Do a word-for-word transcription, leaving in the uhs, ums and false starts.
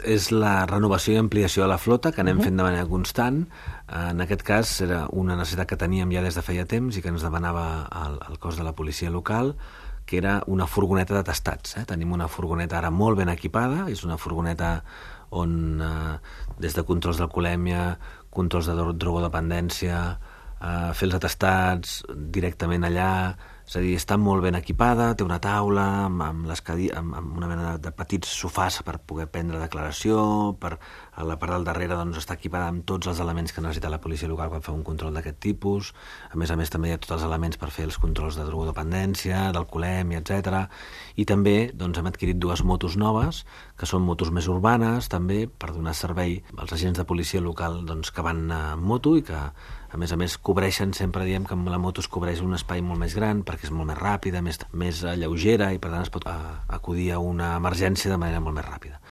És la renovació i ampliació de la flota que anem fent de manera constant. En aquest cas era una necessitat que teníem ja des de feia temps i que ens demanava el, el cos de la policia local, que era una furgoneta d'atestats. Eh? Tenim una furgoneta ara molt ben equipada, és una furgoneta on eh, des de controls d'alcoholèmia, controls de drogodependència, eh, fer els atestats directament allà, és a dir, està molt ben equipada, té una taula amb, amb, les cadi... amb, amb una mena de, de petits sofàs per poder prendre declaració, per... a la part del darrere doncs, està equipada amb tots els elements que necessita la policia local quan fa un control d'aquest tipus. A més a més també hi ha tots els elements per fer els controls de drogodependència, d'alcoholèmia, etcètera. I també doncs, hem adquirit dues motos noves, que són motos més urbanes, també, per donar servei als agents de policia local doncs, que van en moto i que a més a més cobreixen, sempre diem que amb la moto es cobreix un espai molt més gran perquè és molt més ràpida, més, més lleugera i per tant es pot acudir a una emergència de manera molt més ràpida.